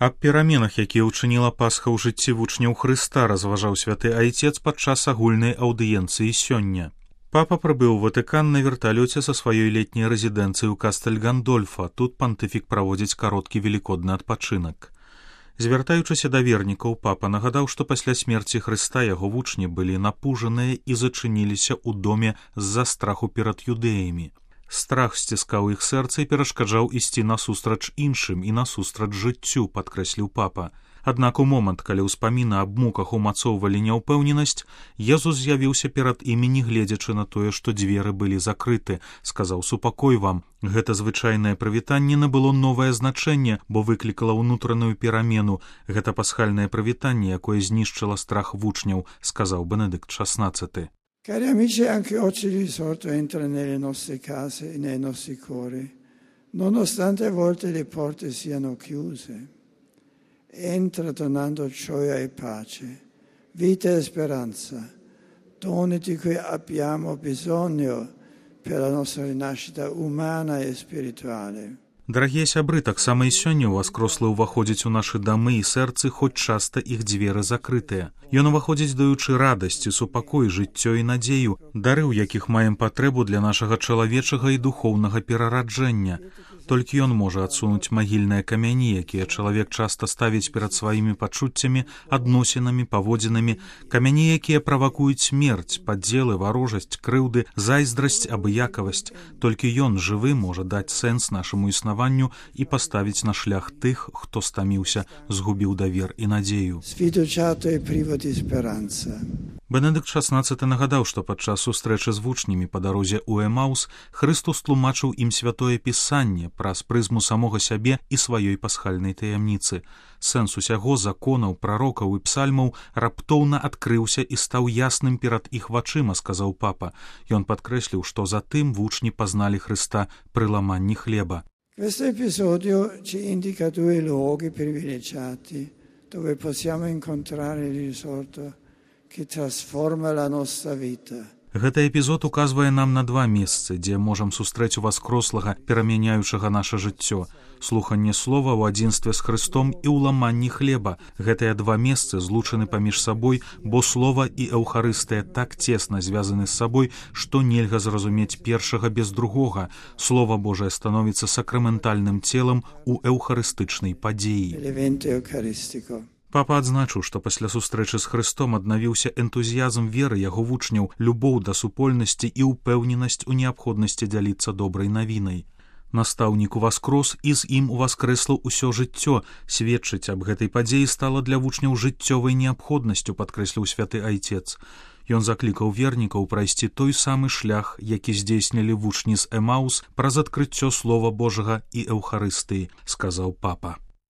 Аб пераменах, якія ўчыніла Пасха ў жыцці вучняў Хрыста, разважаў святы айцец падчас агульнай аўдыенцыі сёння. Папа прыбыў у Ватыкан на верталёце са сваёй летняй рэзідэнцыі ў Кастэль-Гандольфа. Тут пантыфік праводзіць кароткі велікодны адпачынак. Звяртаючыся да вернікаў, папа нагадаў, што пасля смерці Хрыста яго вучні былі напужаныя і зачыніліся ў доме з-за страху перад юдэямі. Страх сціскаў іх сэрца і перашкаджаў ісці насустрач іншым і насустрач жыццю, падкрэсліў папа. Аднак у момант, калі ўспаміны аб муках умацоўвалі няўпэўненасць, Езус з'явіўся перад імі, не гледзячы на тое, што дзверы былі закрыты. Сказаў: «Супакой вам». Гэта звычайнае прывітанне набыло новае значэнне, бо выклікала ўнутраную перамену. Гэта пасхальнае прывітанне, якое знішчыла страх вучняў, сказаў Бенедикт XVI. Cari amici, anche oggi il risorto entra nelle nostre case e nei nostri cuori, nonostante a volte le porte siano chiuse. Entra donando gioia e pace, vita e speranza, doni di cui abbiamo bisogno per la nostra rinascita umana e spirituale. Дарагія сябры, таксама і сёння ўваскрослы ўваходзіць у нашы дамы і сэрцы, хоць часта іх дзверы закрытыя. Ён уваходзіць, даючы радасць, супакой, жыццё і надзею, дары, у якіх маем патрэбу для нашага чалавечага і духоўнага перараджэння. Толькі ён можа адсунуць магільныя камяні, якія чалавек часта ставіць перад сваімі пачуццямі, адносінамі, паводзінамі, камяні, якія правакуюць смерць, падзелы, варожасць, крыўды, зайздрасць, абыякавасць. Толькі ён, жывы, можа даць сэнс нашаму існаванню і паставіць на шлях тых, хто стаміўся, згубіў давер і надзею. Бенедикт XVI нагадаў, што падчас сустрэчы з вучнямі па дарозе ў Эмаус Хрыстус тлумачыў ім святое пісанне праз прызму самога сябе і сваёй пасхальнай таямніцы. Сэнс усяго законаў, прарокаў і псальмаў раптоўна адкрыўся і стаў ясным перад іх вачыма, сказаў папа. Ён падкрэсліў, што затым вучні пазналі Хрыста пры ламанні хлеба. Questo episodio ci indica due luoghi privilegiati dove possiamo incontrare il risorto che trasforma la nostra vita. Гэты эпізод указвае нам на два месцы, дзе можам сустрэць уваскрослага, перамяняючага наша жыццё. Слуханне слова ў адзінстве з Хрыстом і ў ламанні хлеба. Гэтыя два месцы злучаны паміж сабой, бо слова і эўхарыстыя так цесна звязаны з сабой, што нельга зразумець першага без другога. Слова Божае становіцца сакраментальным целам у эўхарыстычнай падзеі. Папа адзначыў, што пасля сустрэчы з Хрыстом аднавіўся энтузіязм веры яго вучняў, любоў да супольнасці і ўпэўненасць у неабходнасці дзяліцца добрай навінай. Настаўнік уваскрос і з ім уваскрэсла ўсё жыццё. Сведчыць аб гэтай падзеі стала для вучняў жыццёвай неабходнасцю, падкрэсліў святы айцец. Ён заклікаў вернікаў прайсці той самы шлях, які здзейснілі вучні з Эмаус праз адкрыццё слова Божага і эўхарыстыі, сказаў папа.